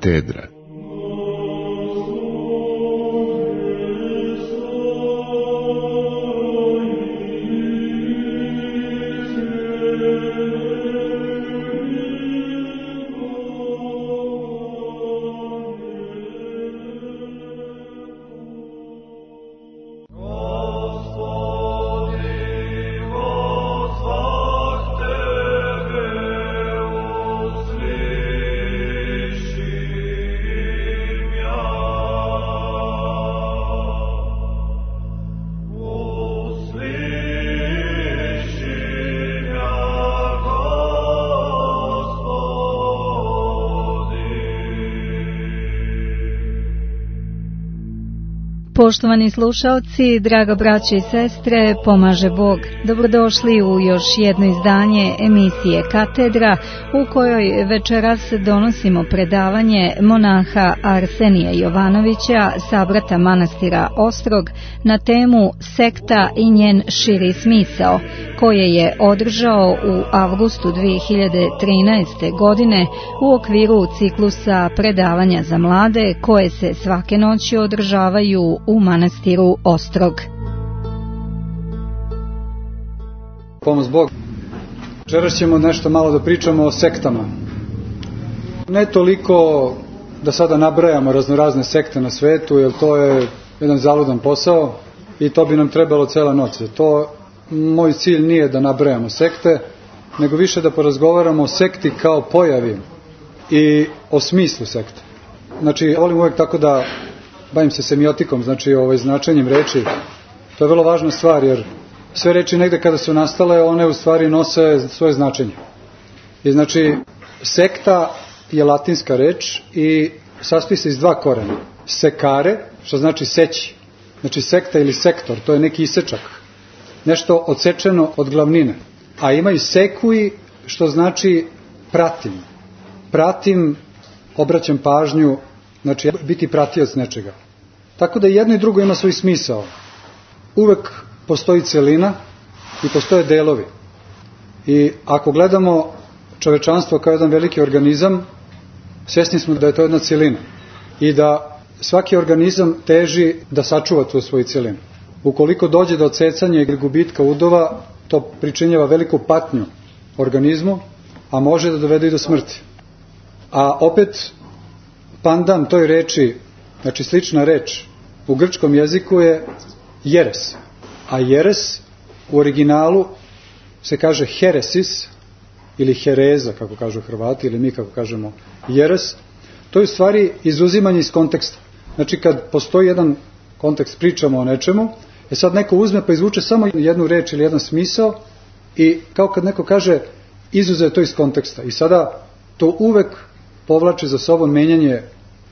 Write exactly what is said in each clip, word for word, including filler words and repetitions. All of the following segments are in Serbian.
Katedra. Poštovani slušalci, draga braće i sestre, pomaže Bog. Dobrodošli u još jedno izdanje emisije Katedra, u kojoj večeras donosimo predavanje monaha Arsenija Jovanovića, sabrata manastira Ostrog, na temu Sekta i njen širi smisao, koje je održao u avgustu dvije hiljade trinaeste. godine u okviru ciklusa predavanja za mlade, koje se svake noći održavaju u manastiru Ostrog. Pomoz Bog. Večeras ćemo nešto malo da pričamo o sektama. Ne toliko da sada nabrajamo raznorazne sekte na svetu, jer to je jedan zaludan posao i to bi nam trebalo cela noć. To moj cilj nije da nabrajamo sekte, nego više da porazgovaramo o sekti kao pojavi i o smislu sekte. Znači, volim uvijek tako da bavim se semiotikom, znači ovaj, značenjem reči. To je vrlo važna stvar, jer sve reči negde kada su nastale, one u stvari nose svoje značenje. I znači, sekta je latinska reč i sastoji se iz dva korena. Sekare, što znači seći. Znači sekta ili sektor, to je neki isečak. Nešto odsečeno od glavnine. A ima i sekui, što znači pratim. Pratim, obraćam pažnju, znači biti pratioc nečega. Tako da jedno i drugo ima svoj smisao. Uvek postoji celina i postoje delovi. I ako gledamo čovečanstvo kao jedan veliki organizam, svjesni smo da je to jedna celina. I da svaki organizam teži da sačuva tu svoju celinu. Ukoliko dođe do odsecanja ili gubitka udova, to pričinjava veliku patnju organizmu, a može da dovede i do smrti. A opet, pandan toj reči, znači slična reč u grčkom jeziku je jeres. A jeres u originalu se kaže heresis ili hereza, kako kažu Hrvati, ili mi kako kažemo jeres. To je u stvari izuzimanje iz konteksta. Znači kad postoji jedan kontekst, pričamo o nečemu, e sad neko uzme pa izvuče samo jednu reč ili jedan smisao i kao kad neko kaže izuzeo to iz konteksta. I sada to uvek povlači za sobom menjanje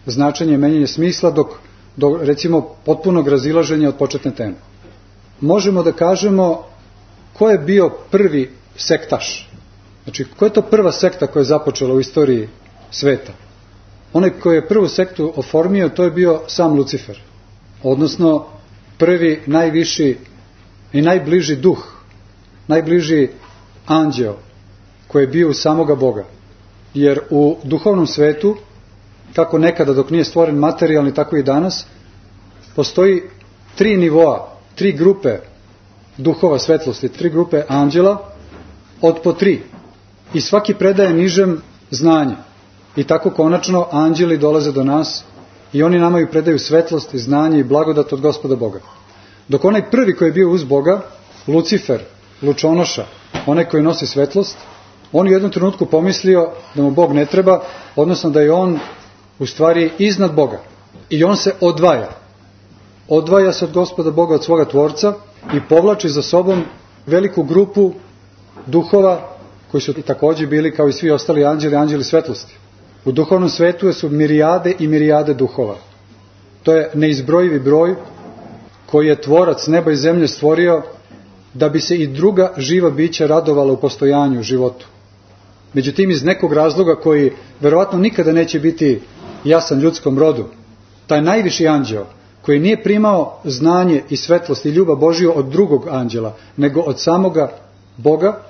značenje, menjanje smisla dok do recimo potpunog razilaženja od početne teme. Možemo da kažemo ko je bio prvi sektaš. Znači, ko je to prva sekta koja je započela u istoriji sveta? Onaj koji je prvu sektu oformio, to je bio sam Lucifer. Odnosno, prvi, najviši i najbliži duh, najbliži anđeo koji je bio u samoga Boga. Jer u duhovnom svetu, kako nekada dok nije stvoren materijalni, tako i danas, postoji tri nivoa, tri grupe duhova svetlosti, tri grupe anđela od po tri. I svaki predaje nižem znanje. I tako konačno anđeli dolaze do nas i oni nama i predaju svetlost i znanje i blagodat od Gospoda Boga. Dok onaj prvi koji je bio uz Boga, Lucifer, lučonoša, onaj koji nosi svetlost, on u jednom trenutku pomislio da mu Bog ne treba, odnosno da je on u stvari iznad Boga. I on se odvaja. Odvaja se od Gospoda Boga, od svoga Tvorca i povlači za sobom veliku grupu duhova koji su također bili kao i svi ostali anđeli, anđeli svetlosti. U duhovnom svetu su mirijade i mirijade duhova. To je neizbrojivi broj koji je Tvorac neba i zemlje stvorio da bi se i druga živa bića radovala u postojanju, u životu. Međutim, iz nekog razloga koji verovatno nikada neće biti jasan ljudskom rodu, taj najviši anđeo koji nije primao znanje i svetlost i ljubav Božiju od drugog anđela, nego od samoga Boga,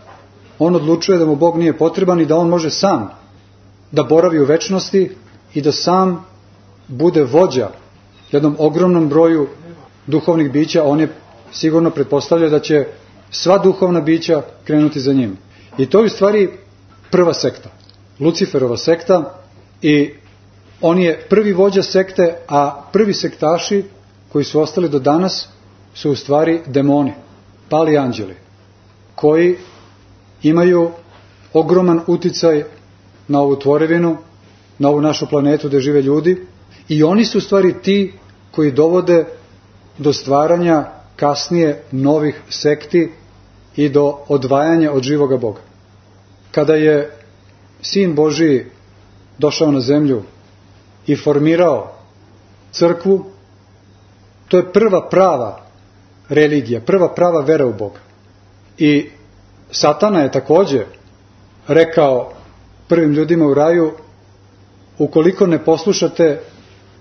on odlučuje da mu Bog nije potreban i da on može sam da boravi u večnosti i da sam bude vođa jednom ogromnom broju duhovnih bića. On je sigurno pretpostavlja da će sva duhovna bića krenuti za njim. I to je u stvari prva sekta, Luciferova sekta, i on je prvi vođa sekte, a prvi sektaši koji su ostali do danas su u stvari demoni, pali anđeli, koji imaju ogroman uticaj na ovu tvorevinu, na ovu našu planetu gde žive ljudi, i oni su u stvari ti koji dovode do stvaranja kasnije novih sekti i do odvajanja od živoga Boga. Kada je Sin Božiji došao na zemlju i formirao crkvu, to je prva prava religija, prva prava vera u Boga. I Satana je također rekao prvim ljudima u raju: ukoliko ne poslušate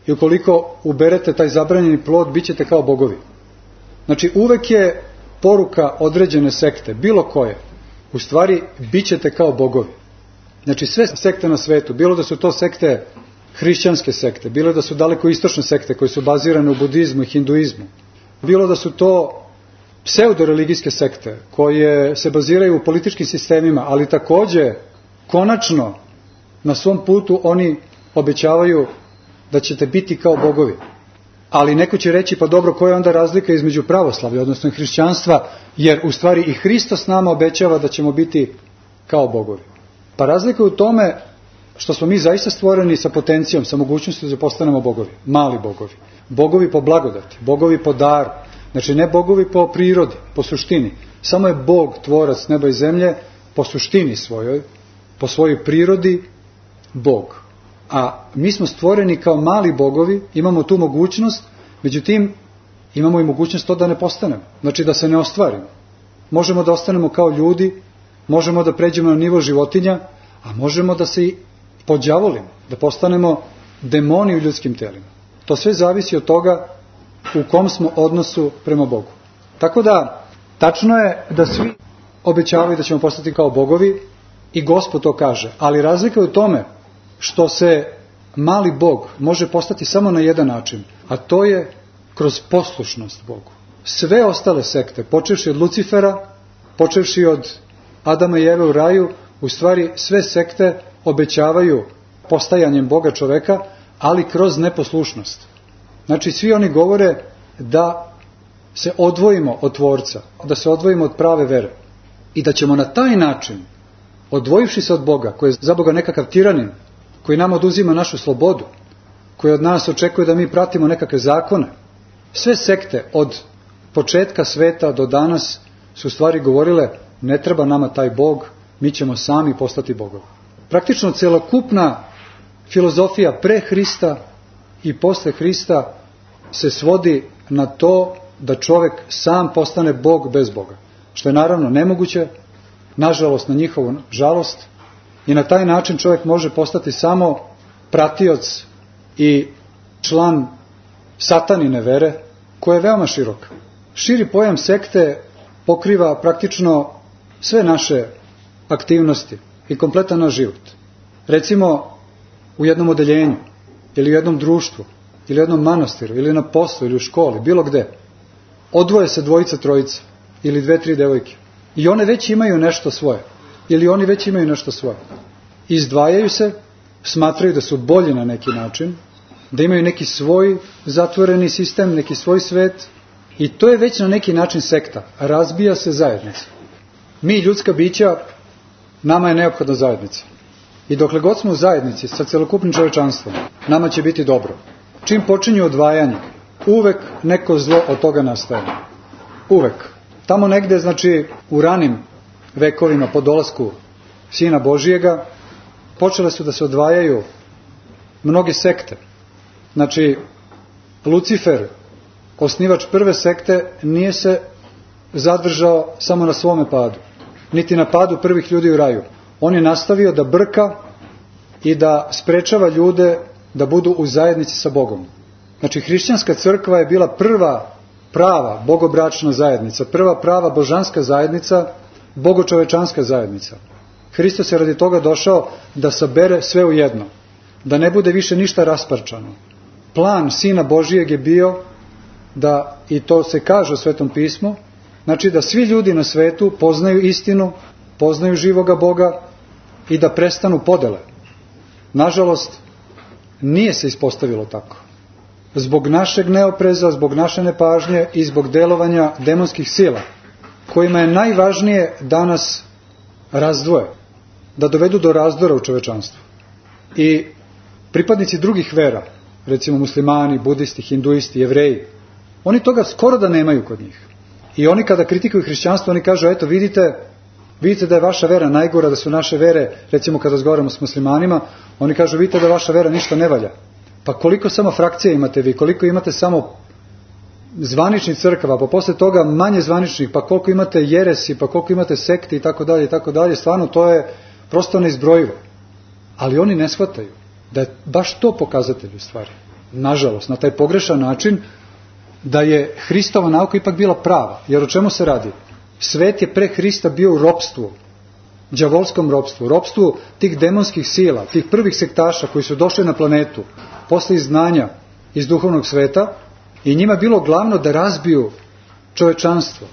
i ukoliko uberete taj zabranjeni plod, bit ćete kao bogovi. Znači, uvek je poruka određene sekte, bilo koje, u stvari bit ćete kao bogovi. Znači, sve sekte na svetu, bilo da su to sekte hrišćanske sekte, bilo da su daleko istočne sekte koje su bazirane u budizmu i hinduizmu, bilo da su to pseudoreligijske sekte koje se baziraju u političkim sistemima, ali također konačno na svom putu oni obećavaju da ćete biti kao bogovi. Ali neko će reći: pa dobro, koja je onda razlika između pravoslavlja, odnosno hrišćanstva, jer u stvari i Hristos nama obećava da ćemo biti kao bogovi. Pa razlika je u tome što smo mi zaista stvoreni sa potencijom, sa mogućnosti da postanemo bogovi, mali bogovi, bogovi po blagodati, bogovi po daru, znači ne bogovi po prirodi, po suštini. Samo je Bog, tvorac neba i zemlje, po suštini svojoj, po svojoj prirodi Bog. A mi smo stvoreni kao mali bogovi, imamo tu mogućnost, međutim imamo i mogućnost to da ne postanemo, znači da se ne ostvarimo. Možemo da ostanemo kao ljudi, možemo da pređemo na nivo životinja, a možemo da se i podđavolimo, da postanemo demoni u ljudskim telima. To sve zavisi od toga u kom smo odnosu prema Bogu. Tako da, tačno je da svi obećavaju da ćemo postati kao bogovi, i Gospod to kaže, ali razlika je u tome što se mali Bog može postati samo na jedan način, a to je kroz poslušnost Bogu. Sve ostale sekte, počevši od Lucifera, počevši od Adama i Eve u raju, u stvari sve sekte obećavaju postajanjem Boga čoveka, ali kroz neposlušnost. Znači, svi oni govore da se odvojimo od Tvorca, da se odvojimo od prave vere i da ćemo na taj način, odvojivši se od Boga, koji je za Boga nekakav tiranin, koji nam oduzima našu slobodu, koji od nas očekuje da mi pratimo nekakve zakone. Sve sekte od početka sveta do danas su u stvari govorile: ne treba nama taj Bog, mi ćemo sami postati bogovi. Praktično celokupna filozofija pre Hrista i posle Hrista se svodi na to da čovjek sam postane Bog bez Boga, što je naravno nemoguće, nažalost, na njihovu žalost, i na taj način čovjek može postati samo pratioc i član satanine vere, koja je veoma široka. Širi pojam sekte pokriva praktično sve naše aktivnosti i kompletan naš život. Recimo, u jednom odeljenju, ili u jednom društvu, ili u jednom manastiru, ili na poslu, ili u školi, bilo gde, odvoje se dvojica, trojica, ili dve, tri devojke. I one već imaju nešto svoje, ili oni već imaju nešto svoje. Izdvajaju se, smatraju da su bolji na neki način, da imaju neki svoj zatvoreni sistem, neki svoj svet, i to je već na neki način sekta. Razbija se zajednica. Mi, ljudska bića, nama je neophodna zajednica. I dokle god smo u zajednici sa celokupnim čovečanstvom, nama će biti dobro. Čim počinju odvajanje, uvek neko zlo od toga nastaje. Uvek. Tamo negde, znači, u ranim vekovima po dolasku Sina Božijega, počele su da se odvajaju mnoge sekte. Znači, Lucifer, osnivač prve sekte, nije se zadržao samo na svome padu, niti na padu prvih ljudi u raju. On je nastavio da brka i da sprečava ljude da budu u zajednici sa Bogom. Znači, hrišćanska crkva je bila prva prava bogobračna zajednica, prva prava božanska zajednica, bogočovečanska zajednica. Hristos je radi toga došao da sabere sve u jedno. da ne bude više ništa rasparčano. Plan Sina Božijeg je bio da, i to se kaže u Svetom pismu, znači da svi ljudi na svetu poznaju istinu, poznaju živoga Boga i da prestanu podele. Nažalost, nije se ispostavilo tako. Zbog našeg neopreza, zbog naše nepažnje i zbog delovanja demonskih sila, kojima je najvažnije da nas razdvoje, da dovedu do razdora u čovečanstvu. I pripadnici drugih vera, recimo muslimani, budisti, hinduisti, jevreji, oni toga skoro da nemaju kod njih. I oni kada kritikuju hrišćanstvo, oni kažu, eto vidite, vidite da je vaša vera najgora, da su naše vere, recimo kada razgovaramo s muslimanima, oni kažu, vidite da vaša vera ništa ne valja. Pa koliko samo frakcija imate vi, koliko imate samo zvaničnih crkava, pa posle toga manje zvaničnih, pa koliko imate jeresi, pa koliko imate sekti i tako dalje i tako dalje, stvarno to je prosto neizbrojivo. Ali oni ne shvataju da je baš to pokazatelj u stvari. Nažalost, na taj pogrešan način da je Hristova nauka ipak bila prava. Jer o čemu se radi? Svet je pre Hrista bio u ropstvu, đavolskom ropstvu, ropstvu tih demonskih sila, tih prvih sektaša koji su došli na planetu posle izgnanja iz duhovnog sveta i njima bilo glavno da razbiju čovečanstvo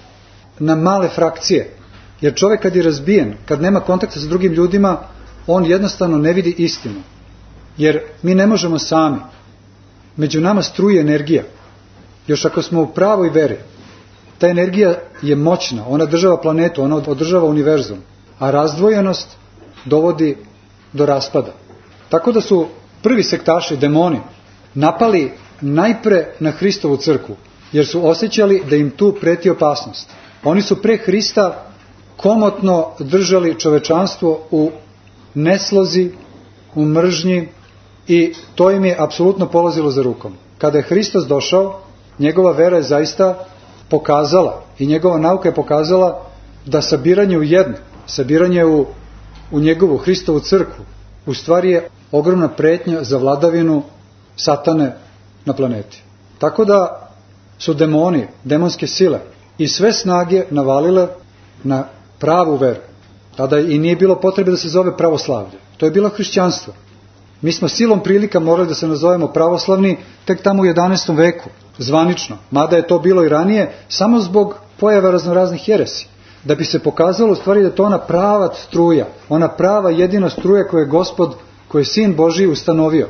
na male frakcije. Jer čovjek kad je razbijen, kad nema kontakta sa drugim ljudima, on jednostavno ne vidi istinu. Jer mi ne možemo sami. Među nama struje energija. Još ako smo u pravoj veri, ta energija je moćna, ona država planetu, ona održava univerzum, a razdvojenost dovodi do raspada. Tako da su prvi sektaši, demoni, napali najpre na Hristovu crkvu, jer su osjećali da im tu preti opasnost. Oni su pre Hrista komotno držali čovečanstvo u neslozi, u mržnji i to im je apsolutno polazilo za rukom. Kada je Hristos došao, njegova vera je zaista pokazala i njegova nauka je pokazala da sabiranje u jedno, sabiranje u, u njegovu Hristovu crkvu u stvari je ogromna pretnja za vladavinu satane na planeti. Tako da su demoni, demonske sile i sve snage navalile na pravu veru. Tada i nije bilo potrebe da se zove pravoslavlje. To je bilo hrišćanstvo. Mi smo silom prilika morali da se nazovemo pravoslavni tek tamo u jedanaestom veku, zvanično, mada je to bilo i ranije, samo zbog pojava raznoraznih jeresi. Da bi se pokazalo u stvari da je to ona prava struja, ona prava jedina struja koju je Gospod, koju je Sin Božji ustanovio.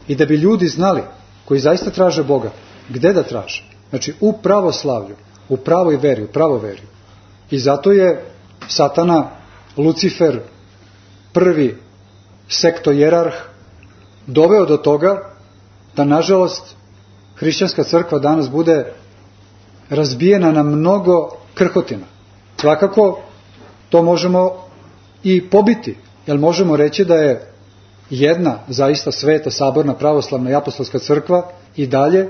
I da bi ljudi znali, koji zaista traže Boga, gde da traže. Znači u pravoslavlju, u pravoj veri, u pravoveri. I zato je Satana, Lucifer, prvi sektojerarh, doveo do toga da nažalost hrišćanska crkva danas bude razbijena na mnogo krhotina. Svakako to možemo i pobiti, jer možemo reći da je jedna zaista sveta, saborna, pravoslavna i apostolska crkva i dalje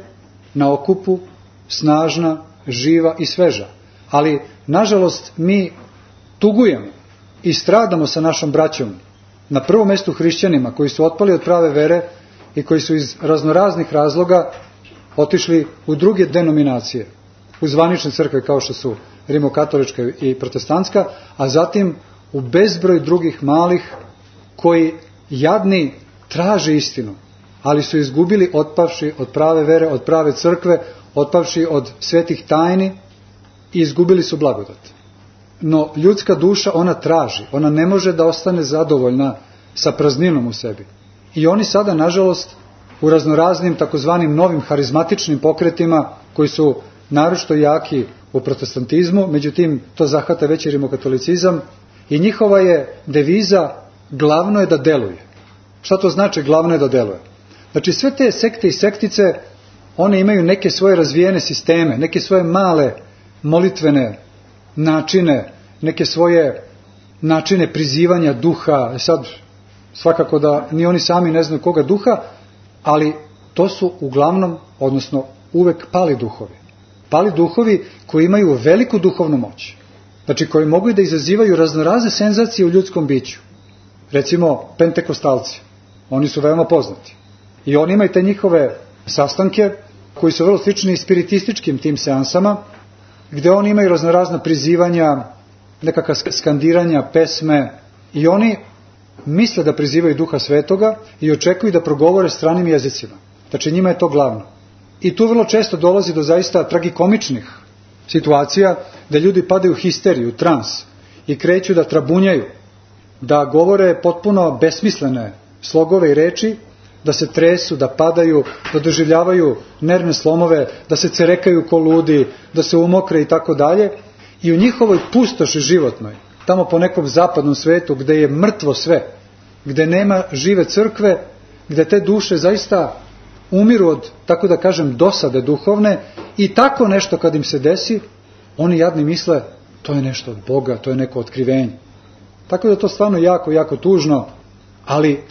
na okupu, snažna, živa i sveža. Ali nažalost mi tugujemo i stradamo sa našom braćom, na prvom mestu hrišćanima koji su otpali od prave vere i koji su iz raznoraznih razloga otišli u druge denominacije, u zvanične crkve kao što su rimokatolička i protestantska, a zatim u bezbroj drugih malih koji jadni traže istinu, ali su izgubili otpavši od prave vere, od prave crkve, otpavši od svetih tajni i izgubili su blagodat. No ljudska duša, ona traži, ona ne može da ostane zadovoljna sa prazninom u sebi. I oni sada, nažalost, u raznoraznim takozvanim novim harizmatičnim pokretima, koji su naročito jaki u protestantizmu, međutim to zahvata već i rimokatolicizam, i njihova je deviza glavno je da deluje. Šta to znači glavno je da deluje? Znači sve te sekte i sektice, one imaju neke svoje razvijene sisteme, neke svoje male molitvene načine, neke svoje načine prizivanja duha. Sad svakako da ni oni sami ne znaju koga duha, ali to su uglavnom, odnosno uvek pali duhovi. Pali duhovi koji imaju veliku duhovnu moć. Znači koji mogu da izazivaju raznorazne senzacije u ljudskom biću. Recimo pentekostalci, oni su veoma poznati. I oni imaju te njihove sastanke koji su vrlo slični spiritističkim tim seansama, gde oni imaju raznorazna prizivanja, nekakva skandiranja, pesme, i oni misle da prizivaju Duha Svetoga i očekuju da progovore stranim jezicima. Znači njima je to glavno. I tu vrlo često dolazi do zaista tragikomičnih situacija da ljudi padaju u histeriju, u trans i kreću da trabunjaju, da govore potpuno besmislene slogove i reči, da se tresu, da padaju, da doživljavaju nervne slomove, da se cerekaju ko ludi, da se umokre i tako dalje. I u njihovoj pustoši životnoj, tamo po nekom zapadnom svetu gde je mrtvo sve, gde nema žive crkve, gde te duše zaista umiru od, tako da kažem, dosade duhovne, i tako nešto kad im se desi, oni jadni misle to je nešto od Boga, to je neko otkrivenje. Tako da to stvarno jako, jako tužno, ali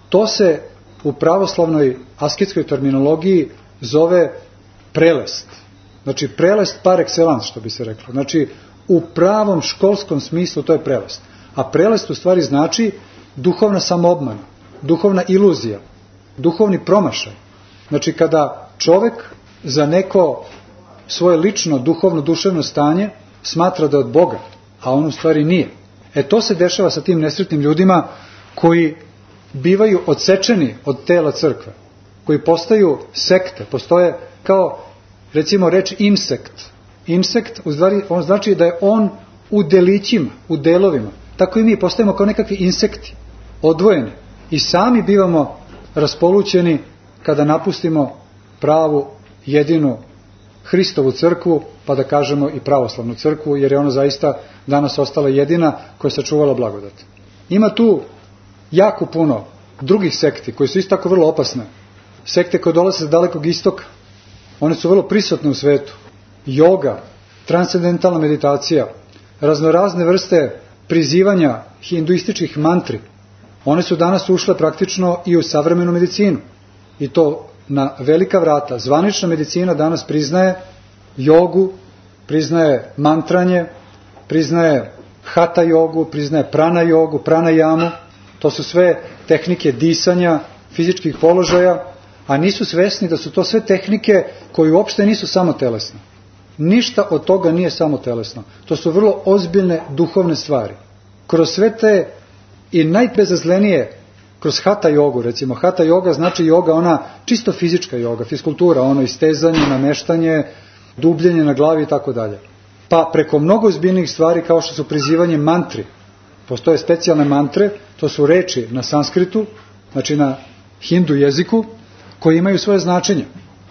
to se u pravoslavnoj asketskoj terminologiji zove prelest. Znači prelest par excellence, što bi se reklo. Znači u pravom školskom smislu to je prelest. A prelest u stvari znači duhovna samoobmana, duhovna iluzija, duhovni promašaj. Znači kada čovek za neko svoje lično duhovno duševno stanje smatra da je od Boga, a on u stvari nije. E to se dešava sa tim nesretnim ljudima koji bivaju odsečeni od tela crkve, koji postaju sekte, postoje kao, recimo, reč insekt. Insekt, u stvari, on znači da je on u delićima, u delovima. Tako i mi postajemo kao nekakvi insekti, odvojeni. I sami bivamo raspolućeni kada napustimo pravu, jedinu Hristovu crkvu, pa da kažemo i pravoslavnu crkvu, jer je ona zaista danas ostala jedina koja je sačuvala blagodat. Ima tu jako puno drugih sekti koji su isto tako vrlo opasne. Sekte koje dolaze sa dalekog istoka. One su vrlo prisutne u svetu. Joga, transcendentalna meditacija, raznorazne vrste prizivanja hinduističkih mantri. One su danas ušle praktično i u savremenu medicinu. I to na velika vrata. Zvanična medicina danas priznaje jogu, priznaje mantranje, priznaje hatha jogu, priznaje prana jogu, pranajamu. To su sve tehnike disanja, fizičkih položaja, a nisu svesni da su to sve tehnike koje uopšte nisu samo telesne. Ništa od toga nije samo telesno. To su vrlo ozbiljne duhovne stvari. Kroz sve te i najbezazlenije, kroz hatha jogu, recimo, hatha joga znači joga, ona čisto fizička joga, fiskultura, ono istezanje, nameštanje, dubljenje na glavi i tako dalje. Pa preko mnogo ozbiljnih stvari kao što su prizivanje mantri. Postoje specijalne mantre, to su reči na sanskritu, znači na hindu jeziku, koji imaju svoje značenje.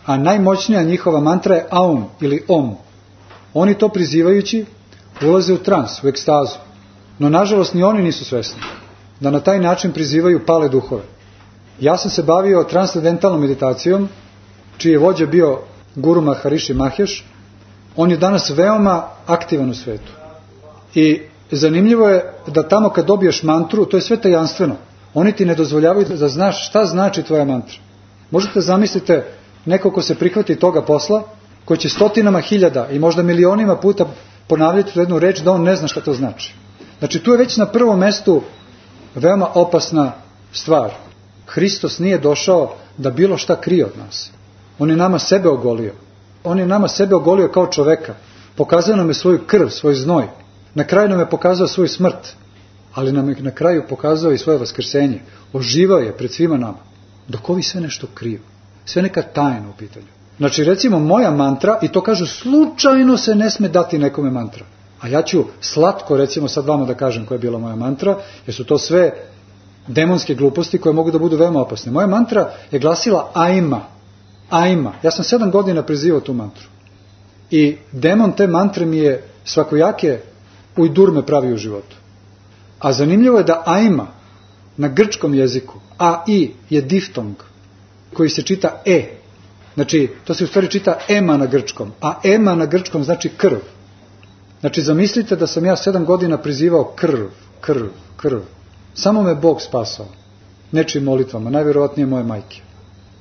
A najmoćnija njihova mantra je aum ili om. Oni to prizivajući ulaze u trans, u ekstazu. No nažalost ni oni nisu svesni da na taj način prizivaju pale duhove. Ja sam se bavio transcendentalnom meditacijom, čiji je vođa bio Guru Maharishi Mahesh. On je danas veoma aktivan u svetu. I zanimljivo je da tamo kad dobiješ mantru, to je sve tajanstveno. Oni ti ne dozvoljavaju da znaš šta znači tvoja mantra. Možete zamislite neko ko se prihvati toga posla, koji će stotinama hiljada i možda milionima puta ponavljati tu jednu reč, da on ne zna šta to znači. Znači tu je već na prvom mestu veoma opasna stvar. Hristos nije došao da bilo šta krije od nas. On je nama sebe ogolio. On je nama sebe ogolio kao čoveka. Pokazao nam je svoju krv, svoj znoj. Na kraju nam je pokazao svoju smrt. Ali nam je na kraju pokazao i svoje vaskrsenje. Oživao je pred svima nama. Dok ovi sve nešto kriju. Sve neka tajna u pitanju. Znači recimo moja mantra, i to kažu slučajno se ne sme dati nekome mantra. A ja ću slatko recimo sad vama da kažem koja je bila moja mantra, jer su to sve demonske gluposti koje mogu da budu veoma opasne. Moja mantra je glasila Aima. Aima. Ja sam sedam godina prizivao tu mantru. I demon te mantre mi je svakojake ujdurme pravi u životu. A zanimljivo je da Aima na grčkom jeziku, a i je diftong koji se čita e. Znači, to se u stvari čita ema na grčkom, a ema na grčkom znači krv. Znači, zamislite da sam ja sedam godina prizivao krv, krv, krv. Samo me Bog spasao. Nečim molitvama, najvjerovatnije moje majke.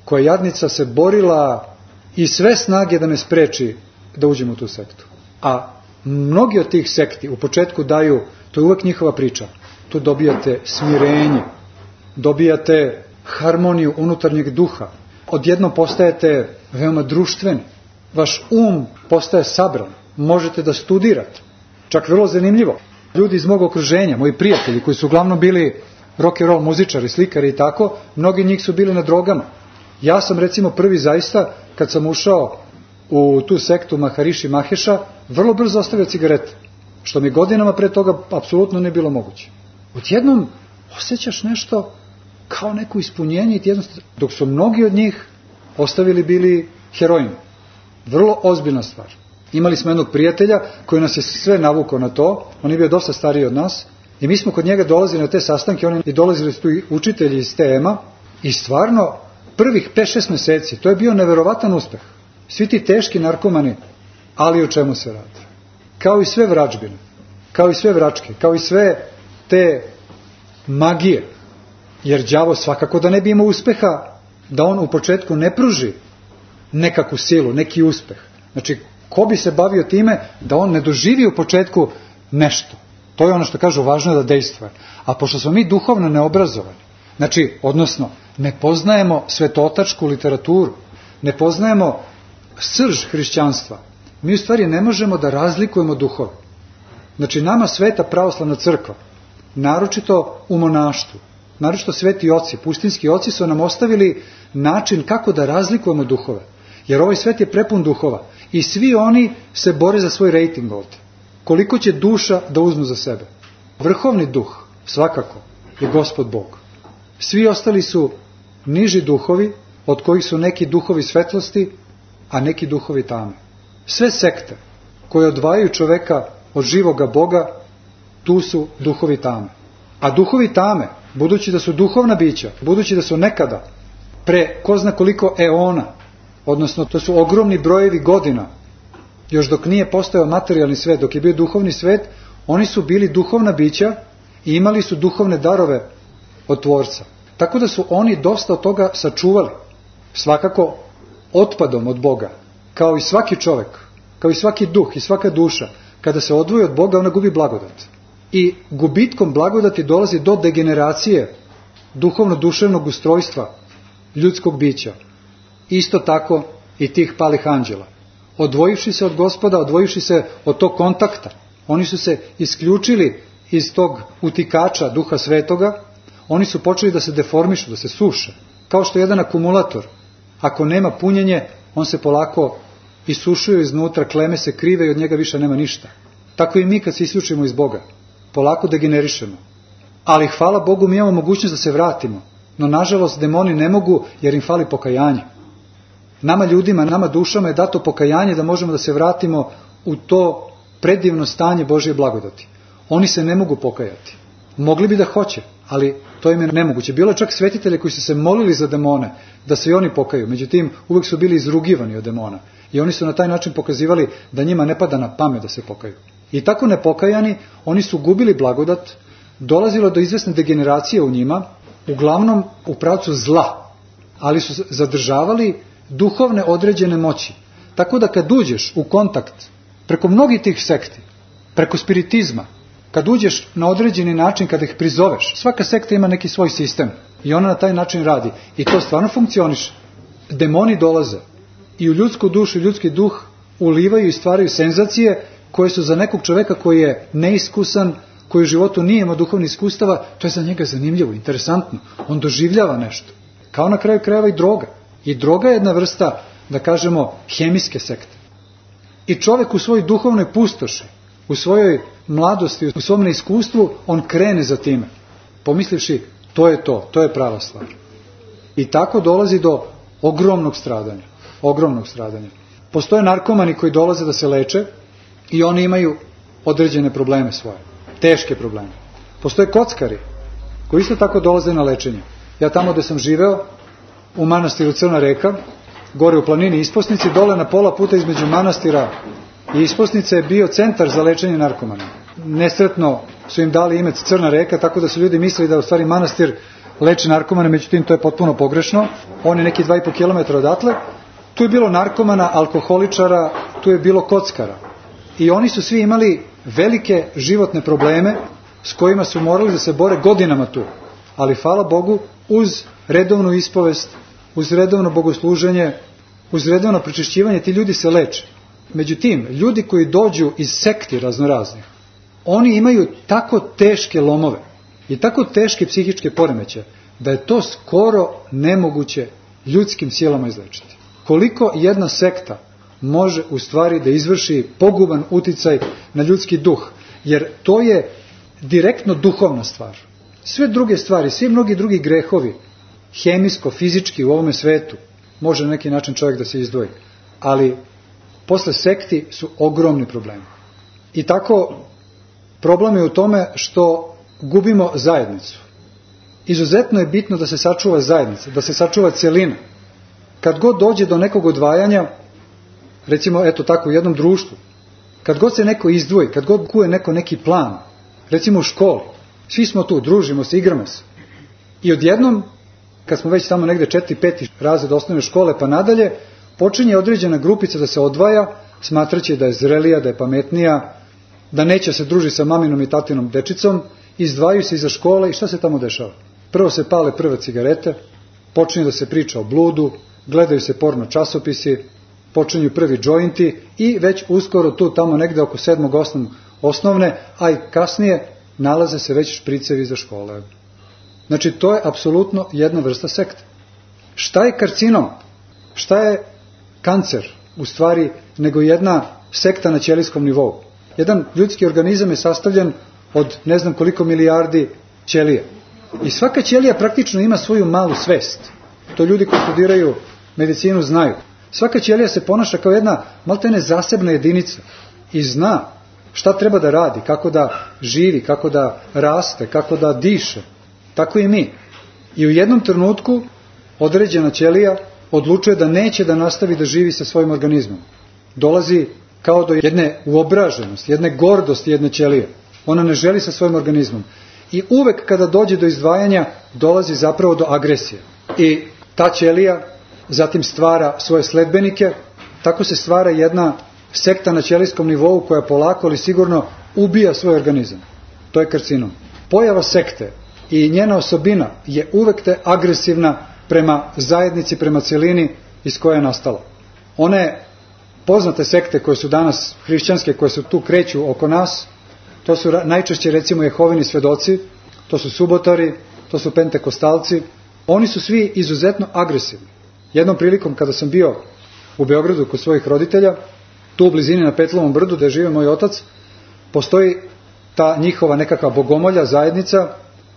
Koja jadnica se borila i sve snage da me spreči da uđem u tu sektu. A mnogi od tih sekti u početku daju, to je uvek njihova priča, tu dobijate smirenje, dobijate harmoniju unutarnjeg duha, odjednom postajete veoma društveni, vaš um postaje sabran, možete da studirate. Čak vrlo zanimljivo, ljudi iz mog okruženja, moji prijatelji koji su uglavnom bili rock and roll muzičari, slikari i tako, mnogi njih su bili na drogama. Ja sam recimo prvi zaista, kad sam ušao u tu sektu Maharishi Maheša, vrlo brzo ostavio cigarete, što mi godinama pre toga apsolutno ne bilo moguće. Odjednom osjećaš nešto kao neko ispunjenje, dok su mnogi od njih ostavili bili heroin. Vrlo ozbiljna stvar. Imali smo jednog prijatelja koji nas je sve navukao na to, on je bio dosta stariji od nas, i mi smo kod njega dolazili na te sastanke, oni i dolazili su tu učitelji iz T M-a, i stvarno prvih pet šest meseci, to je bio neverovatan uspeh. Svi ti teški narkomani, ali o čemu se radi? Kao i sve vražbine, kao i sve vračke, kao i sve te magije, jer đavo svakako da ne bi imao uspeha, da on u početku ne pruži nekakvu silu, neki uspeh. Znači, ko bi se bavio time da on ne doživi u početku nešto? To je ono što kažu, važno je da dejstvuje. A pošto smo mi duhovno neobrazovani, znači, odnosno, ne poznajemo svetotačku literaturu, ne poznajemo srž hrišćanstva, mi u stvari ne možemo da razlikujemo duhove. Znači, nama Sveta pravoslavna crkva, naročito u monaštvu, naročito sveti oci, pustinski oci su nam ostavili način kako da razlikujemo duhove. Jer ovaj svet je prepun duhova i svi oni se bore za svoj rejting ovdje. Koliko će duša da uzmu za sebe? Vrhovni duh, svakako, je Gospod Bog. Svi ostali su niži duhovi, od kojih su neki duhovi svetlosti, a neki duhovi tame. Sve sekte koje odvajaju čoveka od živoga Boga, tu su duhovi tame. A duhovi tame, budući da su duhovna bića, budući da su nekada, pre ko zna koliko eona, odnosno to su ogromni brojevi godina, još dok nije postojao materijalni svet, dok je bio duhovni svet, oni su bili duhovna bića i imali su duhovne darove od Tvorca. Tako da su oni dosta od toga sačuvali, svakako otpadom od Boga, kao i svaki čovek, kao i svaki duh i svaka duša, kada se odvoji od Boga, ona gubi blagodat. I gubitkom blagodati dolazi do degeneracije duhovno-duševnog ustrojstva ljudskog bića. Isto tako i tih palih anđela. Odvojivši se od Gospoda, odvojivši se od tog kontakta, oni su se isključili iz tog utikača Duha Svetoga, oni su počeli da se deformišu, da se suše. Kao što jedan akumulator, ako nema punjenje, on se polako isušuje iznutra, kleme se krive i od njega više nema ništa. Tako i mi kad se isključimo iz Boga, polako degenerišemo. Ali hvala Bogu, mi imamo mogućnost da se vratimo. No nažalost demoni ne mogu jer im fali pokajanje. Nama ljudima, nama dušama je dato pokajanje da možemo da se vratimo u to predivno stanje Božje blagodati. Oni se ne mogu pokajati. Mogli bi da hoće, ali to im je nemoguće. Bilo je čak svetitelje koji su se molili za demone da se i oni pokaju. Međutim, uvek su bili izrugivani od demona. I oni su na taj način pokazivali da njima ne pada na pamet da se pokaju. I tako nepokajani, oni su gubili blagodat, dolazilo do izvesne degeneracije u njima, uglavnom u pravcu zla, ali su zadržavali duhovne određene moći. Tako da kad uđeš u kontakt preko mnogih tih sekti, preko spiritizma, kad uđeš na određeni način, kada ih prizoveš, svaka sekta ima neki svoj sistem i ona na taj način radi. I to stvarno funkcioniše. Demoni dolaze i u ljudsku dušu i ljudski duh ulivaju i stvaraju senzacije koje su za nekog čoveka koji je neiskusan, koji u životu nije imao duhovnih iskustava, to je za njega zanimljivo, interesantno. On doživljava nešto. Kao na kraju krajeva i droga. I droga je jedna vrsta, da kažemo, hemijske sekte. I čovek u svojoj duhovnoj pustoši, u svojoj mladosti, u svom neiskustvu, on krene za time. Pomislivši, to je to, to je prava stvar. I tako dolazi do ogromnog stradanja. Ogromnog stradanja. Postoje narkomani koji dolaze da se leče i oni imaju određene probleme svoje. Teške probleme. Postoje kockari koji isto tako dolaze na lečenje. Ja tamo gde sam živeo, u manastiru Crna Reka, gore u planini Isposnici, dole na pola puta između manastira i Isposnice je bio centar za lečenje narkomana. Nesretno su im dali ime Crna Reka, tako da su ljudi mislili da u stvari manastir leči narkomane, međutim to je potpuno pogrešno. On je neki dva i po kilometra odatle. Tu je bilo narkomana, alkoholičara, tu je bilo kockara. I oni su svi imali velike životne probleme s kojima su morali da se bore godinama tu. Ali hvala Bogu, uz redovnu ispovest, uz redovno bogosluženje, uz redovno prečišćivanje, ti ljudi se leče. Međutim, ljudi koji dođu iz sekti raznoraznih, oni imaju tako teške lomove i tako teške psihičke poremeće da je to skoro nemoguće ljudskim silama izlečiti. Koliko jedna sekta može u stvari da izvrši poguban uticaj na ljudski duh, jer to je direktno duhovna stvar. Sve druge stvari, svi mnogi drugi grehovi, hemijsko, fizički u ovome svetu, može na neki način čovjek da se izdvoji, ali posle sekti su ogromni problemi. I tako problem je u tome što gubimo zajednicu. Izuzetno je bitno da se sačuva zajednica, da se sačuva celina. Kad god dođe do nekog odvajanja, recimo eto tako u jednom društvu, kad god se neko izdvoji, kad god kuje neko neki plan, recimo u školi, svi smo tu, družimo se, igramo se. I odjednom, kad smo već tamo negde četiri, peti razred osnovne škole pa nadalje, počinje određena grupica da se odvaja, smatraće da je zrelija, da je pametnija, da neće se družiti sa maminom i tatinom dečicom, izdvajaju se iza škole i šta se tamo dešava? Prvo se pale prve cigarete, počinje da se priča o bludu, gledaju se porno časopisi, počinju prvi džointi i već uskoro tu tamo negde oko sedmog osmog osnovne, a i kasnije nalaze se već špricevi za škole. Znači to je apsolutno jedna vrsta sekte. Šta je karcinom? Šta je kancer? U stvari nego jedna sekta na ćelijskom nivou. Jedan ljudski organizam je sastavljen od ne znam koliko milijardi ćelija. I svaka ćelija praktično ima svoju malu svest. To ljudi koji studiraju medicinu znaju. Svaka ćelija se ponaša kao jedna maltene zasebna jedinica i zna šta treba da radi, kako da živi, kako da raste, kako da diše. Tako i mi. I u jednom trenutku određena ćelija odlučuje da neće da nastavi da živi sa svojim organizmom. Dolazi kao do jedne uobraženosti, jedne gordosti jedne ćelije. Ona ne želi sa svojim organizmom. I uvek kada dođe do izdvajanja, dolazi zapravo do agresije. I ta ćelija zatim stvara svoje sledbenike, tako se stvara jedna sekta na ćelijskom nivou koja polako ali sigurno ubija svoj organizam. To je karcinom. Pojava sekte i njena osobina je uvek te agresivna prema zajednici, prema celini iz koje je nastala. One poznate sekte koje su danas hrišćanske, koje su tu kreću oko nas, to su najčešće recimo Jehovini svedoci, to su subotari, to su pentekostalci. Oni su svi izuzetno agresivni. Jednom prilikom kada sam bio u Beogradu kod svojih roditelja, tu u blizini na Petlovom brdu gde žive moj otac, postoji ta njihova nekakva bogomolja, zajednica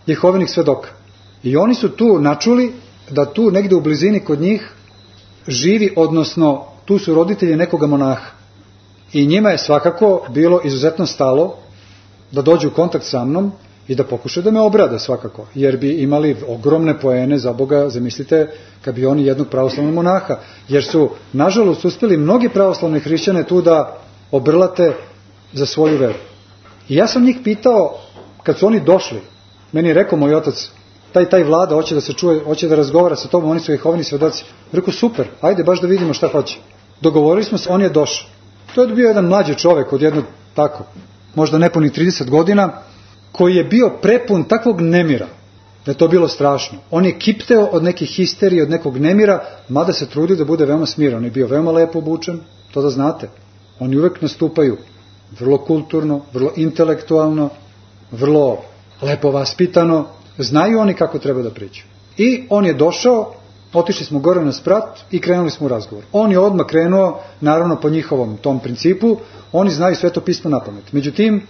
Jehovinih svedoka. I oni su tu načuli da tu negde u blizini kod njih živi, odnosno tu su roditelji nekoga monaha. I njima je svakako bilo izuzetno stalo da dođu u kontakt sa mnom i da pokušaju da me obrade svakako, jer bi imali ogromne poene za Boga, zamislite, kad bi oni jednog pravoslavnog monaha, jer su, nažalost, uspeli mnogi pravoslavni hrišćane tu da obrlate za svoju veru. I ja sam njih pitao, kad su oni došli, meni je rekao moj otac, taj taj vlada hoće da se čuje, hoće da razgovara sa tobom, oni su Jehovini svedoci. Rekao, super, ajde baš da vidimo šta hoće. Dogovorili smo se, on je došao. To je bio jedan mlađi čovek od jednog tako, možda nepunih trideset godina, koji je bio prepun takvog nemira, da je to bilo strašno. On je kipteo od neke histerije, od nekog nemira, mada se trudio da bude veoma smiran. On je bio veoma lepo obučen, to da znate. Oni uvek nastupaju vrlo kulturno, vrlo intelektualno, vrlo lepo vaspitano, znaju oni kako treba da pričaju. I on je došao, otišli smo gore na sprat i krenuli smo u razgovor. On je odmah krenuo, naravno po njihovom tom principu, oni znaju Sveto pismo na pamet. Međutim,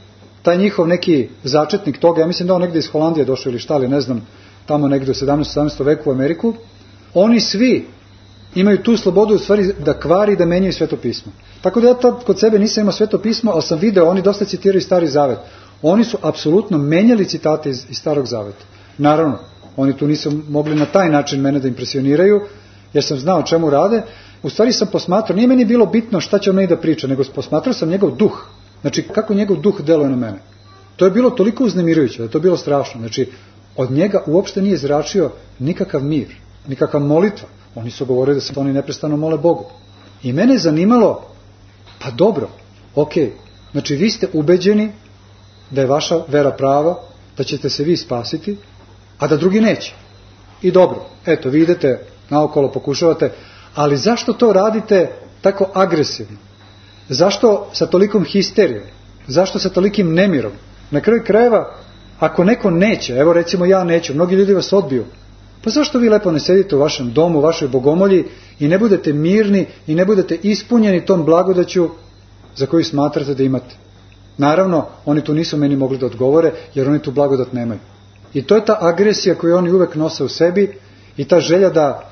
taj njihov neki začetnik toga, ja mislim da on negde iz Holandije došao ili šta, ali ne znam, tamo negde u sedamnaestom sedamnaestom veku u Ameriku, oni svi imaju tu slobodu u stvari da kvari i da menjaju Sveto pismo. Tako da ja tad kod sebe nisam imao Sveto pismo, ali sam video, oni dosta citiraju Stari zavet. Oni su apsolutno menjali citate iz, iz Starog zaveta. Naravno, oni tu nisu mogli na taj način mene da impresioniraju, jer sam znao čemu rade. U stvari sam posmatrao, nije meni bilo bitno šta će on meni da priča, nego posmatrao sam njegov duh. Znači, kako njegov duh deluje na mene. To je bilo toliko uznemirujuće, da je to bilo strašno. Znači, od njega uopšte nije zračio nikakav mir, nikakva molitva. Oni su govorili da se oni neprestano mole Bogu. I mene je zanimalo, pa dobro, okej, znači vi ste ubeđeni da je vaša vera prava, da ćete se vi spasiti, a da drugi neće. I dobro, eto, vi idete naokolo, pokušavate, ali zašto to radite tako agresivno? Zašto sa tolikom histerijom? Zašto sa tolikim nemirom? Na kraju krajeva, Ako neko neće, evo recimo ja neću, mnogi ljudi vas odbiju, pa zašto vi lepo ne sedite u vašem domu, u vašoj bogomolji i ne budete mirni i ne budete ispunjeni tom blagodaću za koju smatrate da imate? Naravno, oni tu nisu meni mogli da odgovore, jer oni tu blagodat nemaju. I to je ta agresija koju oni uvek nose u sebi i ta želja da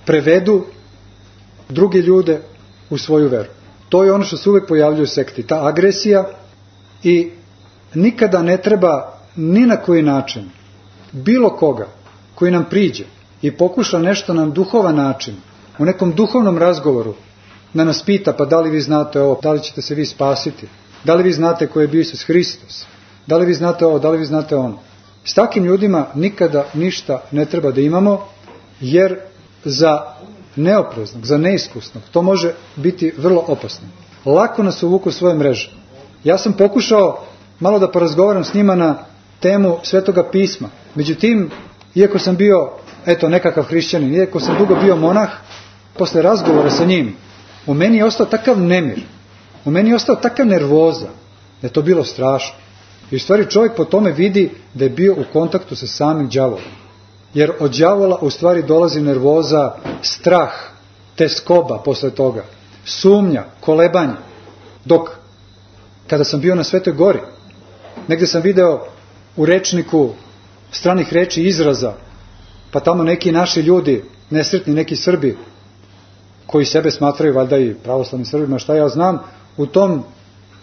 prevedu druge ljude u svoju veru. To je ono što se uvek pojavljuje u sekti, ta agresija, i nikada ne treba ni na koji način bilo koga koji nam priđe i pokuša nešto na duhovan način, u nekom duhovnom razgovoru, da nas pita, pa da li vi znate ovo, da li ćete se vi spasiti, da li vi znate ko je bio Isus Hristos, da li vi znate ovo, da li vi znate ono. S takim ljudima nikada ništa ne treba da imamo, jer za neopreznog, za neiskusnog, to može biti vrlo opasno. Lako nas uvuku svoje mreže. Ja sam pokušao malo da porazgovaram s njima na temu Svetoga pisma. Međutim, iako sam bio, eto, nekakav hrišćanin, iako sam dugo bio monah, posle razgovora sa njim, u meni je ostao takav nemir, u meni je ostao takav nervoza, da je to bilo strašno. I u stvari čovjek po tome vidi da je bio u kontaktu sa samim đavolom. Jer od đavola u stvari dolazi nervoza, strah, teskoba posle toga, sumnja, kolebanje. Dok kada sam bio na Svetoj gori, negde sam video u rečniku stranih reči izraza, pa tamo neki naši ljudi, nesretni neki Srbi, koji sebe smatraju valjda i pravoslavnim Srbima, šta ja znam, u tom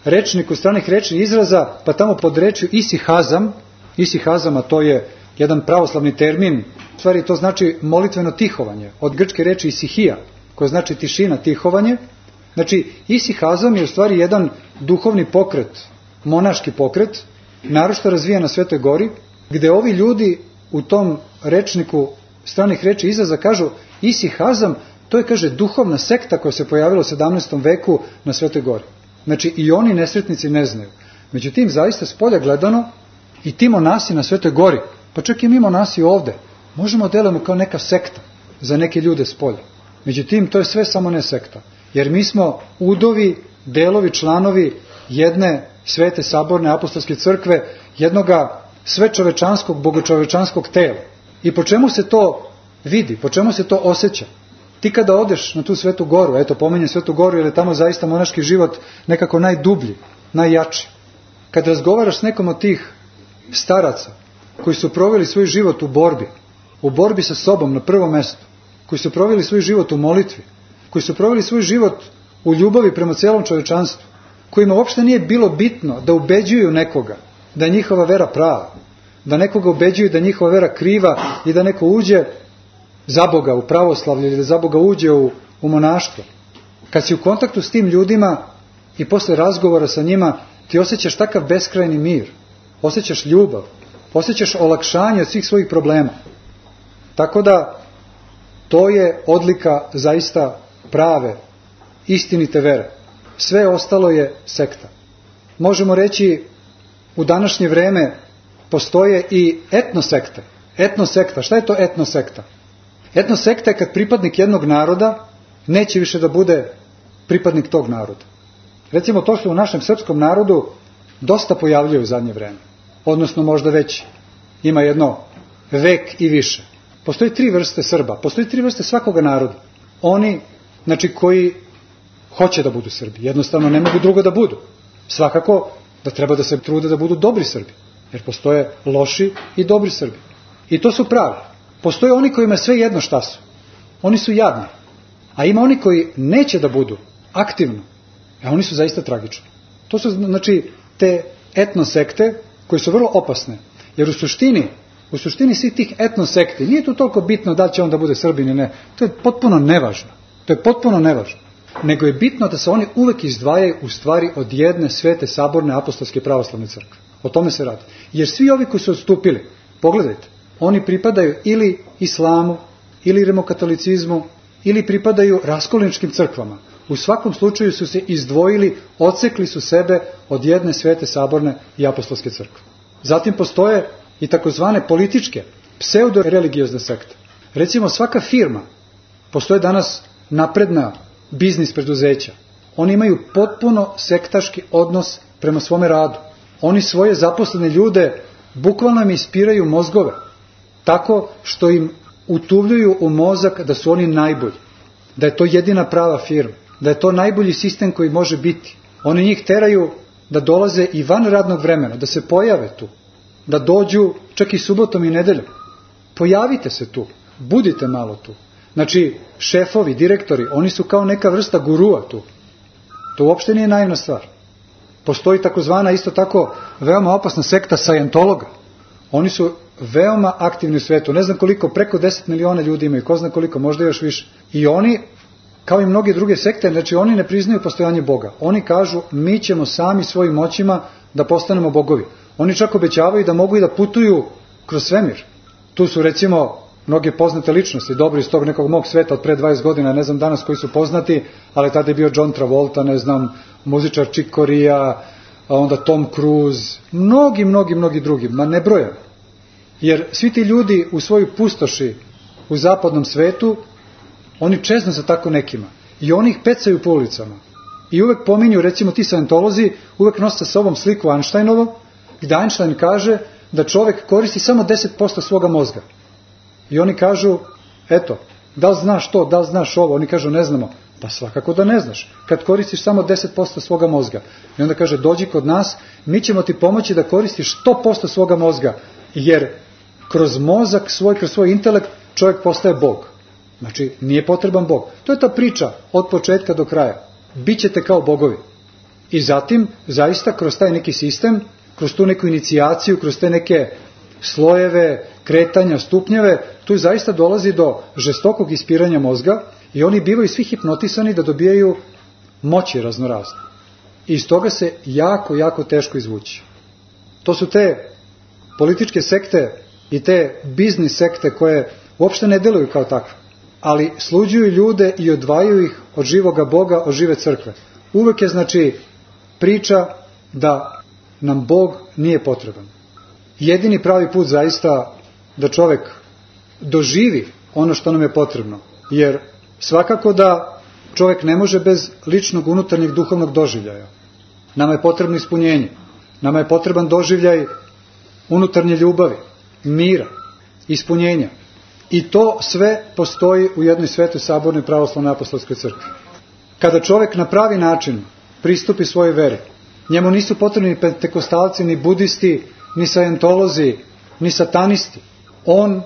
rečniku stranih reči izraza, pa tamo pod rečju isihazam, isihazam, a to je jedan pravoslavni termin, u stvari to znači molitveno tihovanje, od grčke reči isihija, koja znači tišina, tihovanje. Znači, isihazam je u stvari jedan duhovni pokret, monaški pokret, naročito razvijen na Svetoj gori, gde ovi ljudi u tom rečniku stranih reči izraza kažu isihazam, to je, kaže, duhovna sekta koja se pojavila u sedamnaestom veku na Svetoj gori. Znači, i oni nesretnici ne znaju. Međutim, zaista s polja gledano, i ti monasi na Svetoj gori, pa čak i mi monasi ovde, možemo delamo kao neka sekta za neke ljude s polja. Međutim, to je sve samo ne sekta. Jer mi smo udovi, delovi, članovi jedne svete saborne apostolske crkve, jednoga svečovečanskog, bogočovečanskog tela. I po čemu se to vidi, po čemu se to osjeća? Ti kada odeš na tu Svetu goru, eto pominjem Svetu goru jer je tamo zaista monaški život nekako najdublji, najjači. Kad razgovaraš s nekom od tih staraca koji su proveli svoj život u borbi, u borbi sa sobom na prvom mestu, koji su proveli svoj život u molitvi, koji su proveli svoj život u ljubavi prema celom čovečanstvu, kojima uopšte nije bilo bitno da ubeđuju nekoga da je njihova vera prava, da nekoga ubeđuju da je njihova vera kriva i da neko uđe za Boga u pravoslavlje ili da za Boga uđe u, u monaštvo. Kad si u kontaktu s tim ljudima i posle razgovora sa njima, ti osjećaš takav beskrajni mir, osjećaš ljubav, osjećaš olakšanje od svih svojih problema. Tako da to je odlika zaista prave, istinite vere. Sve ostalo je sekta. Možemo reći, u današnje vreme postoje i etnosekte. Etnosekta, šta je to etnosekta? Etnosekta je kad pripadnik jednog naroda neće više da bude pripadnik tog naroda. Recimo, to se u našem srpskom narodu dosta pojavljuje u zadnje vreme. Odnosno, možda već ima jedno vek i više. Postoji tri vrste Srba, postoji tri vrste svakoga naroda. Oni, znači, koji hoće da budu Srbi, jednostavno ne mogu drugo da budu. Svakako da treba da se trude da budu dobri Srbi, jer postoje loši i dobri Srbi. I to su pravi. Postoje oni kojima sve jedno šta su. Oni su jadni. A ima oni koji neće da budu aktivno, a oni su zaista tragični. To su, znači, te etnosekte koje su vrlo opasne. Jer u suštini, u suštini svih tih etnosekti, nije tu toliko bitno da li će on da bude Srbin ili ne. To je potpuno nevažno. To je potpuno nevažno. Nego je bitno da se oni uvek izdvajaju u stvari od jedne svete saborne apostolske pravoslavne crkve. O tome se radi. Jer svi ovi koji su odstupili, pogledajte, oni pripadaju ili islamu, ili rimokatolicizmu, ili pripadaju raskolničkim crkvama. U svakom slučaju su se izdvojili, odsekli su sebe od jedne svete saborne i apostolske crkve. Zatim postoje i takozvane političke, pseudo-religiozne sekte. Recimo, svaka firma, postoje danas napredna biznis preduzeća. Oni imaju potpuno sektaški odnos prema svome radu. Oni svoje zaposlene ljude bukvalno im ispiraju mozgove, tako što im utuvljuju u mozak da su oni najbolji, da je to jedina prava firma, da je to najbolji sistem koji može biti. Oni njih teraju da dolaze i van radnog vremena, da se pojave tu, da dođu čak i subotom i nedeljom. Pojavite se tu, budite malo tu. Znači, šefovi, direktori, oni su kao neka vrsta gurua tu. To uopšte nije naivna stvar. Postoji takozvana isto tako veoma opasna sekta sajentologa. Oni su veoma aktivni u svetu. Ne znam koliko, preko deset miliona ljudi imaju, ko zna koliko, možda još više. I oni, kao i mnoge druge sekte, znači oni ne priznaju postojanje Boga. Oni kažu, mi ćemo sami svojim moćima da postanemo bogovi. Oni čak obećavaju da mogu i da putuju kroz svemir. Tu su recimo mnoge poznate ličnosti, dobro iz tog nekog mog sveta od pre dvadeset godina, ne znam danas koji su poznati, ali tada je bio John Travolta, ne znam, muzičar Chick Corea, onda Tom Cruise, mnogi, mnogi, mnogi drugi, ma ne brojam. Jer svi ti ljudi u svojoj pustoši u zapadnom svetu, oni čeznu za tako nekima i oni ih pecaju po ulicama. I uvek pominju, recimo ti sajentolozi, uvek nose sa sobom sliku Einsteinovo, gde Einstein kaže da čovek koristi samo deset posto svoga mozga. I oni kažu, eto, da li znaš to, da li znaš ovo? Oni kažu, ne znamo. Pa svakako da ne znaš, kad koristiš samo deset posto svoga mozga. I onda kaže, dođi kod nas, mi ćemo ti pomoći da koristiš sto posto svoga mozga, jer kroz mozak svoj, kroz svoj intelekt čovjek postaje Bog. Znači, nije potreban Bog. To je ta priča od početka do kraja. Bićete kao bogovi. I zatim, zaista, kroz taj neki sistem, kroz tu neku inicijaciju, kroz te neke slojeve, kretanja, stupnjeve, tu zaista dolazi do žestokog ispiranja mozga i oni bivaju svi hipnotisani da dobijaju moći raznorazne. I iz toga se jako, jako teško izvući. To su te političke sekte i te biznis sekte koje uopšte ne deluju kao takve, ali sluđuju ljude i odvajaju ih od živoga Boga, od žive crkve. Uvek je, znači, priča da nam Bog nije potreban. Jedini pravi put zaista da čovek doživi ono što nam je potrebno, jer svakako da čovek ne može bez ličnog unutarnjeg duhovnog doživljaja. Nama je potrebno ispunjenje, nama je potreban doživljaj unutarnje ljubavi, mira, ispunjenja. I to sve postoji u jednoj svetoj sabornoj pravoslavnoj apostolskoj crkvi. Kada čovek na pravi način pristupi svojoj veri, njemu nisu potrebni ni pentekostalci, ni budisti, ni sajentolozi, ni satanisti. On,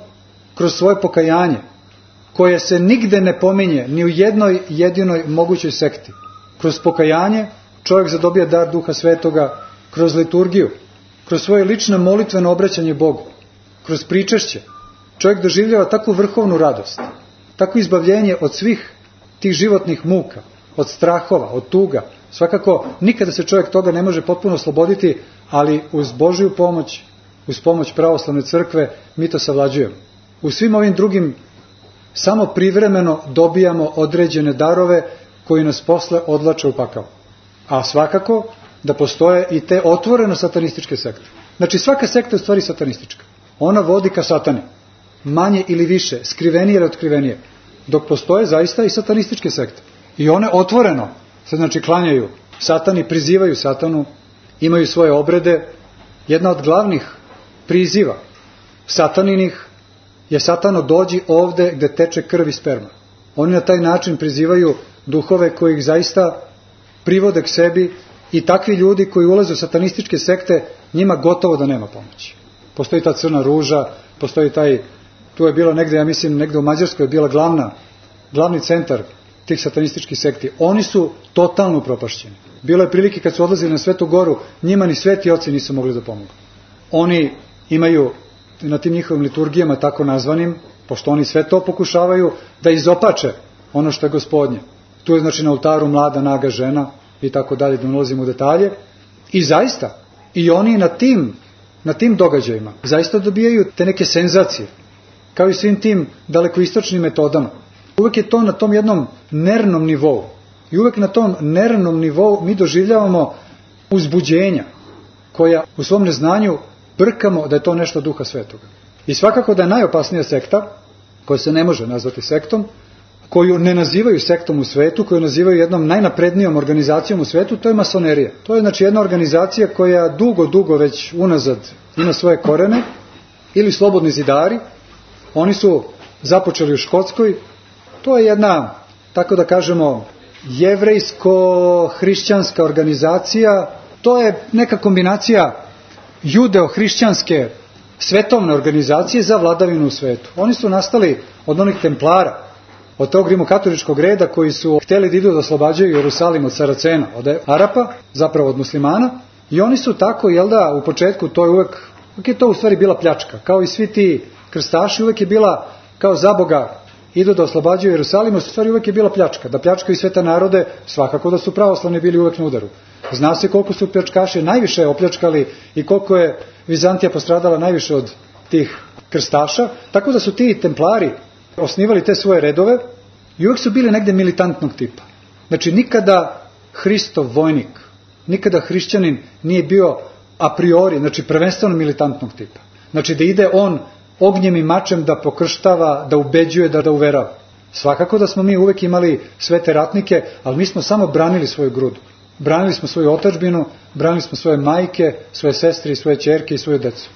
kroz svoje pokajanje, koje se nigde ne pominje, ni u jednoj jedinoj mogućoj sekti, kroz pokajanje čovjek zadobija dar Duha Svetoga, kroz liturgiju, kroz svoje lično molitveno obraćanje Bogu, kroz pričešće, čovjek doživljava takvu vrhovnu radost, takvo izbavljenje od svih tih životnih muka, od strahova, od tuga. Svakako, nikada se čovjek toga ne može potpuno osloboditi, ali uz Božju pomoć, uz pomoć pravoslavne crkve, mi to savlađujemo. U svim ovim drugim samo privremeno dobijamo određene darove koji nas posle odlače u pakao. A svakako da postoje i te otvoreno satanističke sekte. Znači, svaka sekta je u stvari satanistička. Ona vodi ka satani. Manje ili više, skrivenije ili otkrivenije. Dok postoje zaista i satanističke sekte. I one otvoreno se, znači, klanjaju satani, prizivaju satanu, imaju svoje obrede. Jedna od glavnih priziva sataninih je satano dođi ovde gde teče krv i sperma. Oni na taj način prizivaju duhove koji ih zaista privode k sebi i takvi ljudi koji ulaze u satanističke sekte, njima gotovo da nema pomoći. Postoji ta crna ruža, postoji taj, tu je bilo negde, ja mislim, negde u Mađarskoj je bila glavna, glavni centar tih satanističkih sekti. Oni su totalno upropašćeni. Bilo je prilike kad su odlazili na Svetu Goru, njima ni sveti oci nisu mogli da pomogu. Oni imaju na tim njihovim liturgijama tako nazvanim, pošto oni sve to pokušavaju da izopače ono što je Gospodnje. Tu je, znači, na oltaru mlada naga žena i tako dalje, da ne ulazimo u detalje. I zaista, i oni na tim, na tim događajima zaista dobijaju te neke senzacije, kao i svim tim dalekoistočnim metodama. Uvek je to na tom jednom nervnom nivou. I uvek na tom nervnom nivou mi doživljavamo uzbuđenja, koja u svom neznanju brkamo da je to nešto Duha Svetoga. I svakako da je najopasnija sekta, koja se ne može nazvati sektom, koju ne nazivaju sektom u svetu, koju nazivaju jednom najnaprednijom organizacijom u svetu, to je masonerija. To je znači jedna organizacija koja dugo, dugo već unazad ima svoje korene, ili slobodni zidari. Oni su započeli u Škotskoj. To je jedna, tako da kažemo, jevrejsko-hrišćanska organizacija. To je neka kombinacija judeo-hrišćanske svetovne organizacije za vladavinu u svetu. Oni su nastali od onih templara, od tog rimokatoličkog reda koji su htjeli da idu da oslobađaju Jerusalim od Saracena, od Arapa, zapravo od muslimana. I oni su tako, jel da, u početku to je uvek, uvek je to u stvari bila pljačka. Kao i svi ti krstaši, uvek je bila kao zaboga idu da oslobađaju Jerusalim, u stvari uvek je bila pljačka. Da pljačkaju sve te narode, svakako da su pravoslavni bili uvek na udaru. Zna se koliko su pljačkaši najviše opljačkali i koliko je Vizantija postradala najviše od tih krstaša, tako da su ti templari osnivali te svoje redove i uvek su bili negde militantnog tipa. Znači nikada Hristov vojnik, nikada hrišćanin nije bio a priori, znači prvenstveno militantnog tipa. Znači da ide on ognjem i mačem da pokrštava, da ubeđuje, da, da uverava. Svakako da smo mi uvek imali sve te ratnike, ali mi smo samo branili svoju grudu. Branili smo svoju otadžbinu, branili smo svoje majke, svoje sestre i svoje ćerke i svoju decu.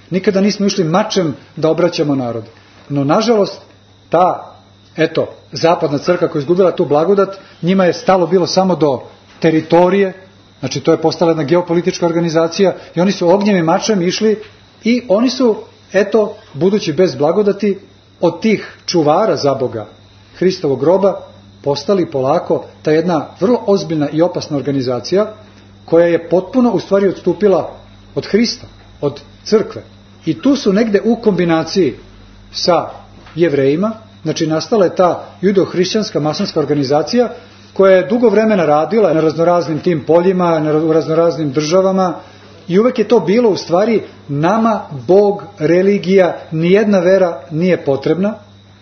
Nikada nismo išli mačem da obraćamo narod. No, nažalost, ta, eto, zapadna crkva koja je izgubila tu blagodat, njima je stalo bilo samo do teritorije, znači to je postala jedna geopolitička organizacija i oni su ognjem i mačem išli i oni su, eto, budući bez blagodati, od tih čuvara za Boga Hristovog groba, postali polako ta jedna vrlo ozbiljna i opasna organizacija koja je potpuno u stvari odstupila od Hrista, od crkve. I tu su negde u kombinaciji sa Jevrejima, znači nastala je ta judeo-hrišćanska masonska organizacija koja je dugo vremena radila na raznoraznim tim poljima, na raznoraznim državama i uvek je to bilo u stvari nama Bog, religija, nijedna vera nije potrebna,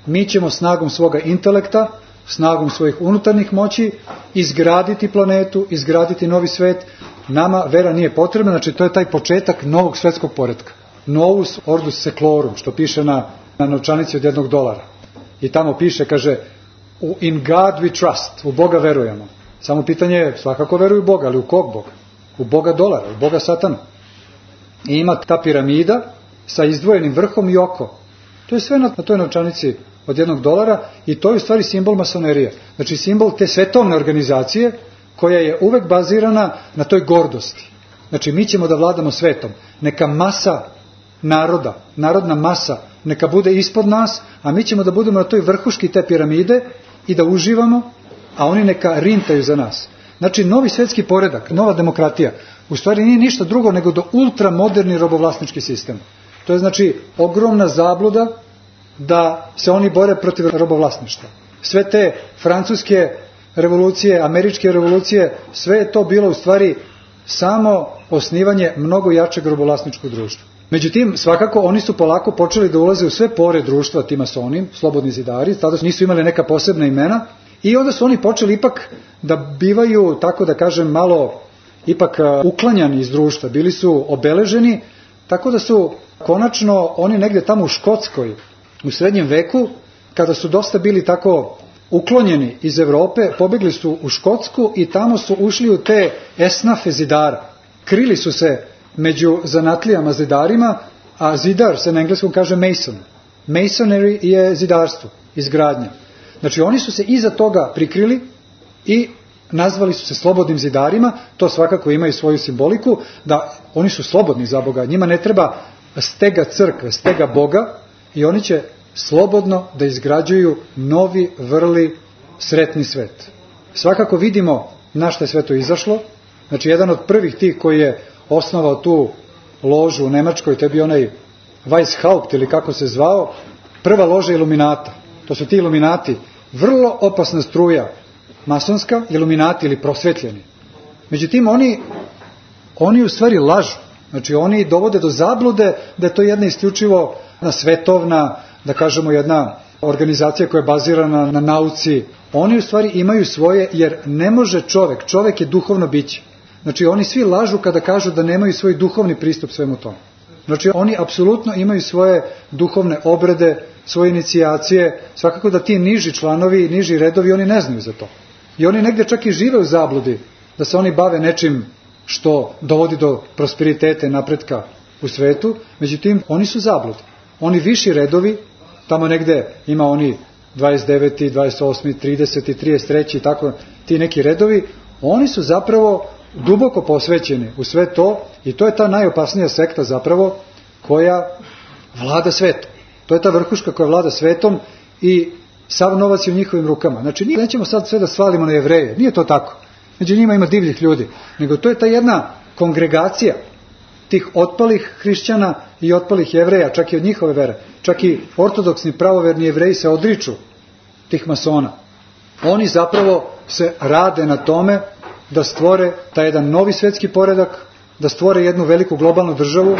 mi ćemo snagom svoga intelekta, snagom svojih unutarnjih moći izgraditi planetu, izgraditi novi svet, nama vera nije potrebna, znači to je taj početak novog svetskog poretka. Novus ordus seclorum, što piše na, na novčanici od jednog dolara. I tamo piše, kaže, in God we trust, u Boga verujemo. Samo pitanje je, svakako veruju u Boga, ali u kog Boga? U Boga dolara, u Boga satana. I ima ta piramida sa izdvojenim vrhom i oko. To je sve na, na toj novčanici od jednog dolara i to je u stvari simbol masonerije. Znači simbol te svetovne organizacije koja je uvek bazirana na toj gordosti. Znači mi ćemo da vladamo svetom. Neka masa naroda, narodna masa, neka bude ispod nas, a mi ćemo da budemo na toj vrhuški te piramide i da uživamo, a oni neka rintaju za nas. Znači novi svetski poredak, nova demokratija, u stvari nije ništa drugo nego do ultramoderni robovlasnički sistem. To je znači ogromna zabluda da se oni bore protiv robovlasništva. Sve te francuske revolucije, američke revolucije, sve je to bilo u stvari samo osnivanje mnogo jačeg robovlasničkog društva. Međutim, svakako oni su polako počeli da ulaze u sve pore društva ti masoni, slobodni zidari, tada nisu imali neka posebna imena i onda su oni počeli ipak da bivaju, tako da kažem, malo ipak uklanjani iz društva, bili su obeleženi, tako da su konačno oni negde tamo u Škotskoj, u srednjem veku, kada su dosta bili tako uklonjeni iz Evrope, pobegli su u Škotsku i tamo su ušli u te esnafe zidara. Krili su se među zanatlijama zidarima, a zidar se na engleskom kaže mason. Masonry je zidarstvo, izgradnja. Znači oni su se iza toga prikrili i nazvali su se slobodnim zidarima, to svakako ima i svoju simboliku, da oni su slobodni za Boga, njima ne treba stega crkve, stega Boga i oni će slobodno da izgrađuju novi, vrli, sretni svet. Svakako vidimo na što je sve to izašlo, znači jedan od prvih tih koji je osnovao tu ložu u Nemačkoj, to je bio onaj Weishaupt ili kako se zvao, prva loža iluminata. To su ti iluminati, vrlo opasna struja, masonska, iluminati ili prosvetljeni. Međutim, oni, oni u stvari lažu. Znači, oni dovode do zablude da je to jedna isključivo jedna svetovna, da kažemo jedna organizacija koja je bazirana na nauci. Oni u stvari imaju svoje, jer ne može čovek, čovek je duhovno biće. Znači, oni svi lažu kada kažu da nemaju svoj duhovni pristup svemu tomu. Znači, oni apsolutno imaju svoje duhovne obrede, svoje inicijacije, svakako da ti niži članovi, niži redovi, oni ne znaju za to. I oni negde čak i žive u zabludi da se oni bave nečim što dovodi do prosperiteta i napretka u svetu, međutim, oni su zabludi. Oni viši redovi, tamo negde ima oni dvadeset deveti, dvadeset osmi, trideseti, trideset treći i tako, ti neki redovi, oni su zapravo duboko posvećeni u sve to i to je ta najopasnija sekta zapravo koja vlada svetom. To je ta vrhuška koja vlada svetom i sav novac je u njihovim rukama. Znači, nećemo sad sve da svalimo na Jevreje, nije to tako. Među njima ima divljih ljudi, nego to je ta jedna kongregacija tih otpalih hrišćana i otpalih Jevreja, čak i od njihove vere. Čak i ortodoksni pravoverni Jevreji se odriču tih masona. Oni zapravo se rade na tome da stvore taj jedan novi svetski poredak, da stvore jednu veliku globalnu državu,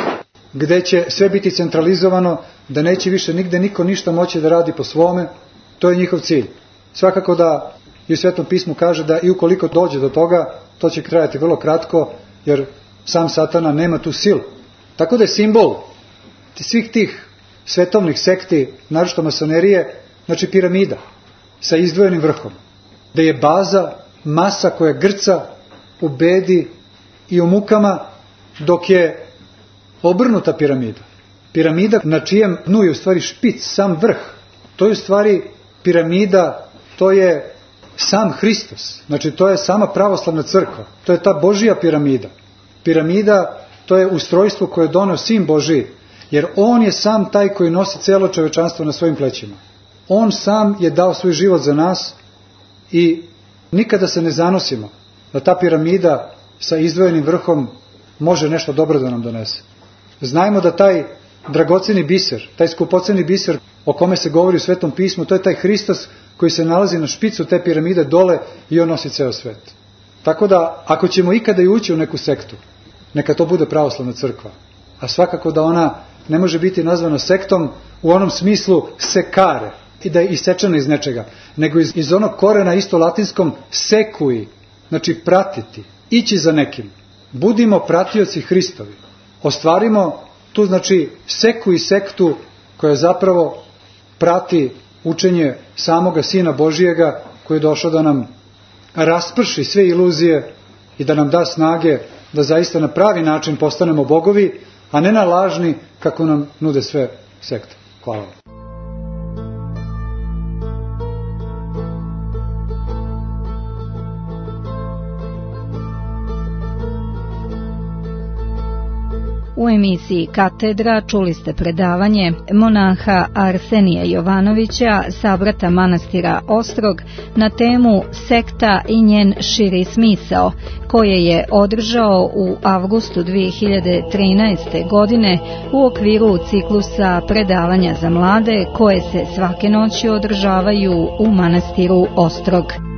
gde će sve biti centralizovano, da neće više nigde niko ništa moći da radi po svome. To je njihov cilj. Svakako da i u Svetom pismu kaže da i ukoliko dođe do toga, to će trajati vrlo kratko, jer sam Satana nema tu silu. Tako da je simbol svih tih svetovnih sekti, naročito masonerije, znači piramida sa izdvojenim vrhom, da je baza masa koja grca u bedi i u mukama, dok je obrnuta piramida. Piramida na čijem dnu je u stvari špic, sam vrh. To je u stvari piramida, to je sam Hristos. Znači to je sama pravoslavna crkva. To je ta Božija piramida. Piramida, to je ustrojstvo koje je doneo Sin Božiji, jer on je sam taj koji nosi celo čovečanstvo na svojim plećima. On sam je dao svoj život za nas i nikada se ne zanosimo da ta piramida sa izdvojenim vrhom može nešto dobro da nam donese. Znajmo da taj dragoceni biser, taj skupoceni biser o kome se govori u Svetom pismu, to je taj Hristos koji se nalazi na špicu te piramide dole i on nosi ceo svet. Tako da, ako ćemo ikada i ući u neku sektu, neka to bude pravoslavna crkva. A svakako da ona ne može biti nazvana sektom u onom smislu sekare, i da je isečena iz nečega, nego iz, iz onog korena isto latinskom sekui, znači pratiti, ići za nekim. Budimo pratioci Hristovi. Ostvarimo tu, znači, sekui sektu koja zapravo prati učenje samoga Sina Božijega koji je došao da nam rasprši sve iluzije i da nam da snage da zaista na pravi način postanemo bogovi, a ne na lažni kako nam nude sve sekte. Hvala vam. U emisiji Katedra čuli ste predavanje monaha Arsenija Jovanovića, sabrata manastira Ostrog, na temu Sekta i njen širi smisao, koje je održao u avgustu dve hiljade trinaeste. godine u okviru ciklusa predavanja za mlade koje se svake noći održavaju u manastiru Ostrog.